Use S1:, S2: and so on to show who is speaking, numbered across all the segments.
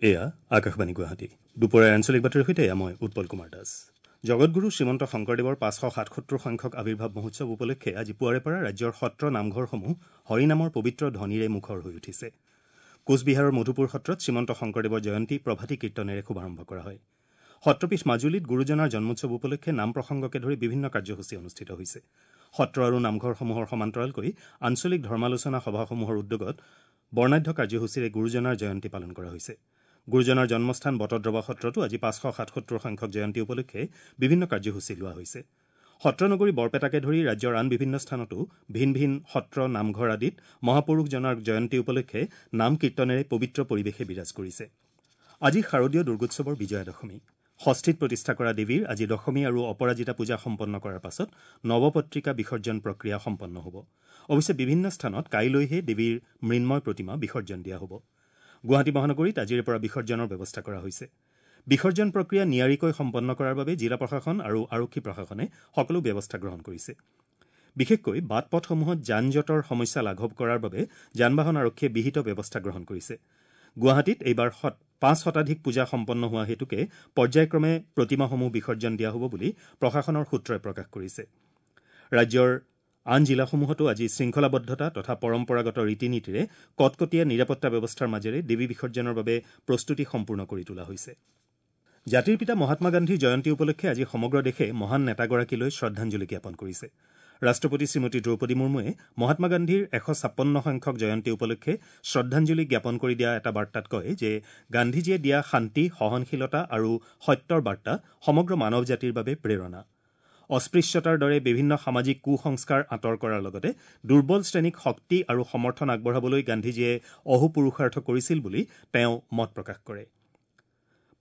S1: এয়া আকাশবাণী গুৱাহাটী। দুপৰীয়াৰ আঞ্চলিক বাতৰিৰ সৈতে এয়া মই উৎপল কুমাৰ দাস। জগতগুৰু শ্ৰীমন্ত শংকৰদেৱৰ 577 সংখ্যক আৱিৰ্ভাৱ মহোৎসৱ উপলক্ষে আজি পুৱাৰে পৰা ৰাজ্যৰ সত্ৰ নামঘৰসমূহ হৰিনামৰ পবিত্ৰ ধ্বনিৰে মুখৰ হৈ উঠিছে। কোচবিহাৰৰ মধুপুৰ সত্ৰত শ্ৰীমন্ত শংকৰদেৱৰ জয়ন্তী প্ৰভাতী কীৰ্তনেৰে শুভাৰম্ভ কৰা হয়। সত্ৰপীঠ মাজুলীত গুৰুজনাৰ জন্মোৎসৱ উপলক্ষে নাম প্ৰসংগকে ধৰি বিভিন্ন কাৰ্যসূচী অনুষ্ঠিত হৈছে। সত্ৰ আৰু নামঘৰসমূহৰ সমান্তৰালকৈ আঞ্চলিক ধৰ্মালোচনা সভাসমূহৰ উদ্যোগত বৰ্ণাঢ্য কাৰ্যসূচীৰে গুৰুজনাৰ জয়ন্তী পালন কৰা হৈছে। গুৰুজনাৰ জন্মস্থান বটদ্ৰৱা সত্ৰতো আজি 577 সংখ্যক জয়ন্তী উপলক্ষে বিভিন্ন কাৰ্যসূচী লোৱা হৈছে। সত্ৰনগৰী বৰপেটাকে ধৰি ৰাজ্যৰ আন বিভিন্ন স্থানতো ভিন ভিন সত্ৰ নামঘৰ আদিত মহাপুৰুষজনাৰ জয়ন্তী উপলক্ষে নাম কীৰ্তনেৰে পবিত্ৰ পৰিৱেশে বিৰাজ কৰিছে। আজি শাৰদীয় দুৰ্গোৎসৱৰ বিজয়া দশমী। ষষ্ঠীত প্ৰতিষ্ঠা কৰা দেৱীৰ আজি দশমী আৰু অপৰাজিতা পূজা সম্পন্ন কৰাৰ পাছত নৱপত্ৰিকা বিসৰ্জন প্ৰক্ৰিয়া সম্পন্ন হ'ব। অৱশ্যে বিভিন্ন স্থানত কাইলৈহে দেৱীৰ মৃন্ময় প্ৰতিমা বিসৰ্জন দিয়া হ'ব। গুৱাহাটী মহানগৰীত আজিৰে পৰা বিসৰ্জনৰ ব্যৱস্থা কৰা হৈছে। বিসৰ্জন প্ৰক্ৰিয়া নিয়াৰিকৈ সম্পন্ন কৰাৰ বাবে জিলা প্ৰশাসন আৰু আৰক্ষী প্ৰশাসনে সকলো ব্যৱস্থা গ্ৰহণ কৰিছে। বিশেষকৈ বাট পথসমূহত যান জঁটৰ সমস্যা লাঘৱ কৰাৰ বাবে যান বাহন আৰক্ষীয়ে বিহিত ব্যৱস্থা গ্ৰহণ কৰিছে। গুৱাহাটীত এইবাৰ 5 শতাধিক পূজা সম্পন্ন হোৱা হেতুকে পৰ্যায়ক্ৰমে প্ৰতিমাসমূহ বিসৰ্জন দিয়া হ'ব বুলি প্ৰশাসনৰ সূত্ৰই প্ৰকাশ কৰিছে। ৰাজ্যৰ আন জিলাসমূহতো আজি শৃংখলাবদ্ধতা তথা পৰম্পৰাগত ৰীতি নীতিৰে কটকটীয়া নিৰাপত্তা ব্যৱস্থাৰ মাজেৰে দেৱী বিসৰ্জনৰ বাবে প্ৰস্তুতি সম্পূৰ্ণ কৰি তোলা হৈছে। জাতিৰ পিতা মহাত্মা গান্ধীৰ জয়ন্তী উপলক্ষে আজি সমগ্ৰ দেশে মহান নেতাগৰাকীলৈ শ্ৰদ্ধাঞ্জলি জ্ঞাপন কৰিছে। ৰাষ্ট্ৰপতি শ্ৰীমতী দ্ৰৌপদী মুৰ্মুৱে মহাত্মা গান্ধীৰ 156 সংখ্যক জয়ন্তী উপলক্ষে শ্ৰদ্ধাঞ্জলি জ্ঞাপন কৰি দিয়া এটা বাৰ্তাত কয় যে গান্ধীজীয়ে দিয়া শান্তি, সহনশীলতা আৰু সত্যৰ বাৰ্তা সমগ্ৰ মানৱ জাতিৰ বাবে প্ৰেৰণা। অস্পৃশ্যতাৰ দৰে বিভিন্ন সামাজিক কুসংস্কাৰ আঁতৰ কৰাৰ লগতে দুৰ্বল শ্ৰেণীক শক্তি আৰু সমৰ্থন আগবঢ়াবলৈ গান্ধীজীয়ে অহোপুৰুষাৰ্থ কৰিছিল বুলি তেওঁ মত প্ৰকাশ কৰে।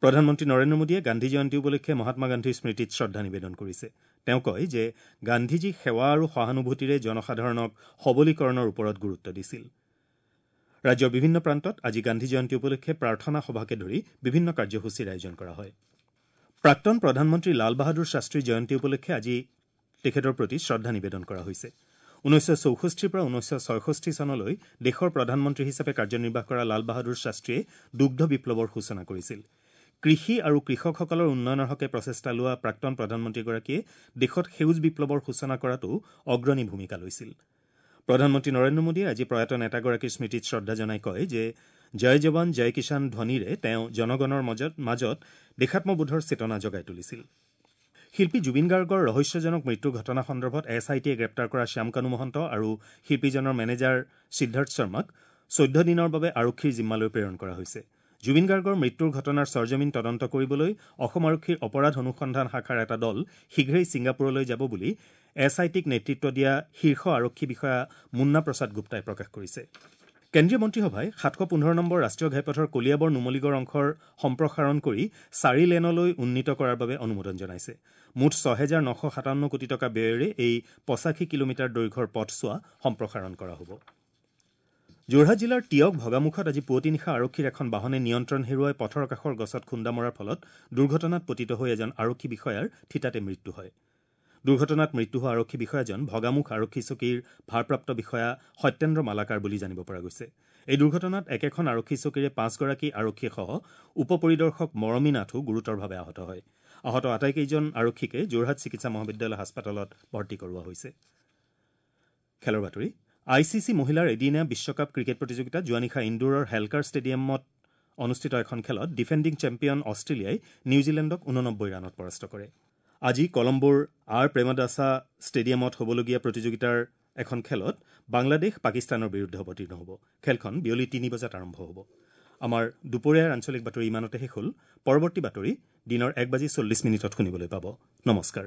S1: প্ৰধানমন্ত্ৰী নৰেন্দ্ৰ মোদীয়ে গান্ধী জয়ন্তী উপলক্ষে মহাত্মা গান্ধীৰ স্মৃতিত শ্ৰদ্ধা নিবেদন কৰিছে। তেওঁ কয় যে গান্ধীজী সেৱা আৰু সহানুভূতিৰে জনসাধাৰণক সবলীকৰণৰ ওপৰত গুৰুত্ব দিছিল। ৰাজ্যৰ বিভিন্ন প্ৰান্তত আজি গান্ধী জয়ন্তী উপলক্ষে প্ৰাৰ্থনা সভাকে ধৰি বিভিন্ন কাৰ্যসূচীৰ আয়োজন কৰা হয়। প্ৰাক্তন প্ৰধানমন্ত্ৰী লাল বাহাদুৰ শাস্ত্ৰীৰ জয়ন্তী উপলক্ষে আজি তেখেতৰ প্ৰতি শ্ৰদ্ধা নিবেদন কৰা হৈছে। 1964 পৰা 1966 চনলৈ দেশৰ প্ৰধানমন্ত্ৰী হিচাপে কাৰ্যনিৰ্বাহ কৰা লাল বাহাদুৰ শাস্ত্ৰীয়ে দুগ্ধ বিপ্লৱৰ সূচনা কৰিছিল। কৃষি আৰু কৃষকসকলৰ উন্নয়নৰ হকে প্ৰচেষ্টা লোৱা প্ৰাক্তন প্ৰধানমন্ত্ৰীগৰাকীয়ে দেশত সেউজ বিপ্লৱৰ সূচনা কৰাতো অগ্ৰণী ভূমিকা লৈছিল। প্ৰধানমন্ত্ৰী নৰেন্দ্ৰ মোদীয়ে আজি প্ৰয়াত নেতাগৰাকীৰ স্মৃতিত শ্ৰদ্ধা জনাই কয় যে জয় জৱান জয় কিষাণ ধ্বনিৰে তেওঁ জনগণৰ মাজত দেশাত্মবোধৰ চেতনা জগাই তুলিছিল। শিল্পী জুবিন গাৰ্গৰ ৰহস্যজনক মৃত্যুৰ ঘটনা সন্দৰ্ভত এছ I টিয়ে গ্ৰেপ্তাৰ কৰা শ্যামকানু মহন্ত আৰু শিল্পীজনৰ মেনেজাৰ সিদ্ধাৰ্থ শৰ্মাক 14 দিনৰ বাবে আৰক্ষীৰ জিম্মালৈ প্ৰেৰণ কৰা হৈছে। জুবিন গাৰ্গৰ মৃত্যুৰ ঘটনাৰ সৰজমিন তদন্ত কৰিবলৈ অসম আৰক্ষীৰ অপৰাধ অনুসন্ধান শাখাৰ এটা দল শীঘ্ৰেই ছিংগাপুৰলৈ যাব বুলি এছ I টিক নেতৃত্ব দিয়া শীৰ্ষ আৰক্ষী বিষয়া মুন্না প্ৰসাদ গুপ্তাই প্ৰকাশ কৰিছে। কেন্দ্ৰীয় মন্ত্ৰীসভাই 715 নম্বৰ ৰাষ্ট্ৰীয় ঘাইপথৰ কলিয়াবৰ নুমলীগড় অংশৰ সম্প্ৰসাৰণ কৰি 4 লেনলৈ উন্নীত কৰাৰ বাবে অনুমোদন জনাইছে। মুঠ 6957 কোটি টকা ব্যয়েৰে এই 85 কিলোমিটাৰ দৈৰ্ঘ্যৰ পথছোৱা সম্প্ৰসাৰণ কৰা হ'ব। যোৰহাট জিলাৰ তিয়ক ভগামুখত আজি পুৱতি নিশা আৰক্ষীৰ এখন বাহনে নিয়ন্ত্ৰণ হেৰুৱাই পথৰ কাষৰ গছত খুন্দা মৰাৰ ফলত দুৰ্ঘটনাত পতিত হৈ এজন আৰক্ষী বিষয়াৰ থিতাতে মৃত্যু হয়। দুৰ্ঘটনাত মৃত্যু হোৱা আৰক্ষী বিষয়াজন ভগামুখ আৰক্ষী চকীৰ ভাৰপ্ৰাপ্ত বিষয়া সত্যেন্দ্ৰ মালাকাৰ বুলি জানিব পৰা গৈছে। এই দুৰ্ঘটনাত একেখন আৰক্ষী চকীৰে 5 গৰাকী আৰক্ষীসহ উপ পৰিদৰ্শক মৰমী নাথো গুৰুতৰভাৱে আহত হয়। আহত আটাইকেইজন আৰক্ষীকে যোৰহাট চিকিৎসা মহাবিদ্যালয় হাস্পতালত ভৰ্তি কৰোৱা হৈছে। খেলৰ বাতৰি। I C C মহিলাৰ এদিনীয়া বিশ্বকাপ ক্ৰিকেট প্ৰতিযোগিতাত যোৱা নিশা ইন্দোৰৰ হেলকাৰ ষ্টেডিয়ামত অনুষ্ঠিত এখন খেলত ডিফেণ্ডিং চেম্পিয়ন অষ্ট্ৰেলিয়াই নিউজিলেণ্ডক 89 ৰানত পৰাস্ত কৰে। আজি কলম্বোৰ আৰ প্ৰেমদাসা ষ্টেডিয়ামত হ'বলগীয়া প্ৰতিযোগিতাৰ এখন খেলত বাংলাদেশ পাকিস্তানৰ বিৰুদ্ধে অৱতীৰ্ণ হ'ব। খেলখন বিয়লি 3 বজাত আৰম্ভ হ'ব। আমাৰ দুপৰীয়াৰ আঞ্চলিক বাতৰি ইমানতে শেষ হ'ল। পৰৱৰ্তী বাতৰি দিনৰ 1:40 শুনিবলৈ পাব। নমস্কাৰ।